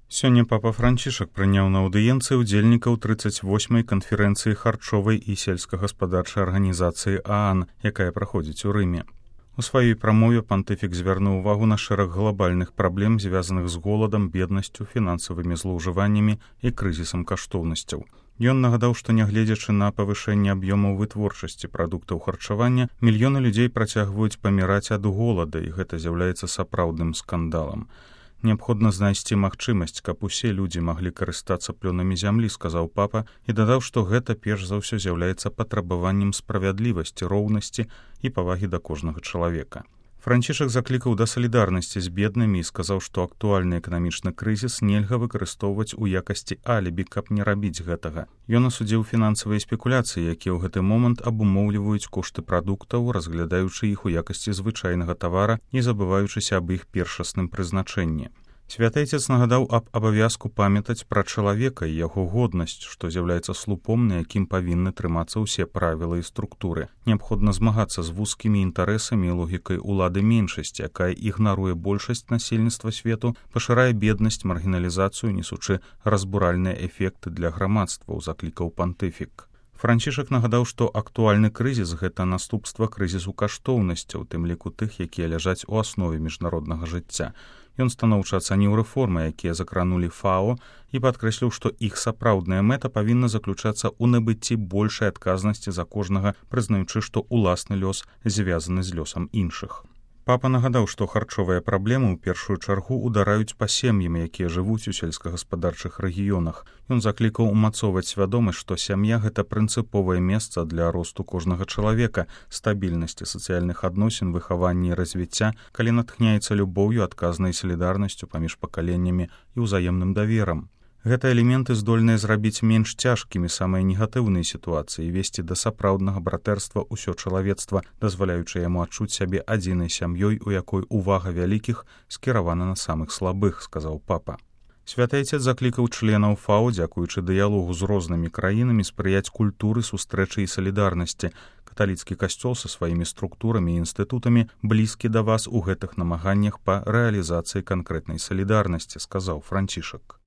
Сёння папа Францішак прыняў на аўдыенцыі ўдзельнікаў 38-й канферэнцыі харчовай і сельскагаспадарчай арганізацыі ААН, якая праходзіць у Рыме. У сваёй прамове пантыфік звярнуў увагу на шэраг глобальных праблем, звязаных з голадам, беднасцю, фінансавымі злоўжываннямі і крызісам каштоўнасцяў. Ён нагадаў, што нягледзячы на павышэнне аб'ёмаў вытворчасці прадуктаў харчавання, мільёны людзей працягваюць паміраць ад голада, і гэта з'яўляецца сапраўдным скандалам. Неабходна знайсці магчымасць, каб усе людзі маглі карыстацца плёнамі зямлі, сказаў папа, і дадаў, што гэта перш за ўсё з'яўляецца патрабаваннем справядлівасці, роўнасці і павагі да кожнага чалавека. Францішак заклікаў да салідарнасці з беднымі і сказаў, што актуальны эканамічны крызіс нельга выкарыстоўваць у якасці алібі, каб не рабіць гэтага. Ён асудзіў фінансавыя спекуляцыі, якія ў гэты момант абумоўліваюць кошты прадуктаў, разглядаючы іх у якасці звычайнага тавара і забываючыся аб іх першасным прызначэнні. Святэйцец нагадаў аб абавязку памятаць пра чалавека і яго годнасць, што з'яўляецца слупом, на якім павінны трымацца ўсе правілы і структуры. Неабходна змагацца з вузкімі інтарэсамі і логікай улады меншасці, якая ігнаруе большасць насельніцтва свету, пашырае беднасць, маргіналізацыю, несучы разбуральныя эфекты для грамадства, заклікаў пантыфік. Францішак нагадаў, што актуальны крызіс – гэта наступства крызісу каштоўнасцяў, тым ліку тых, якія ляжаць у аснове міжнароднага жыцця. Ён станоўча ацаніў рэформы, якія закранулі ФАО, і падкрэсліў, што іх сапраўдная мэта павінна заключацца ў набыцці большай адказнасці за кожнага, прызнаючы, што ўласны лёс звязаны з лёсам іншых. Папа нагадаў, што харчовыя праблемы ў першую чаргу удараюць па сем'ям, якія жывуць у сельскагаспадарчых рэгіёнах. Ён заклікаў умацоўваць свядомасць, што сям'я – гэта прынцыповае месца для росту кожнага чалавека, стабільнасці сацыяльных адносін, выхавання і развіцця, калі натхняецца любоўю, адказнай салідарнасцю паміж пакаленнямі і ўзаемным даверам. Гэта элементы здольныя зрабіць менш цяжкімі самыя негатыўныя сітуацыі і весці да сапраўднага братэрства ўсё чалавецтва, дазваляючы яму адчуць сябе адзінай сям'ёй, у якой увага вялікіх скіравана на самых слабых, сказаў папа. Святэйцец заклікаў членаў ФАО, дзякуючы дыялогу з рознымі краінамі, спрыяць культуры, сустрэчы і салідарнасці. Каталіцкі касцёл са сваімі структурамі і інстытутамі блізкі да вас у гэтых намаганнях па рэалізацыі канкрэтнай салідарнасці, сказаў Францішак.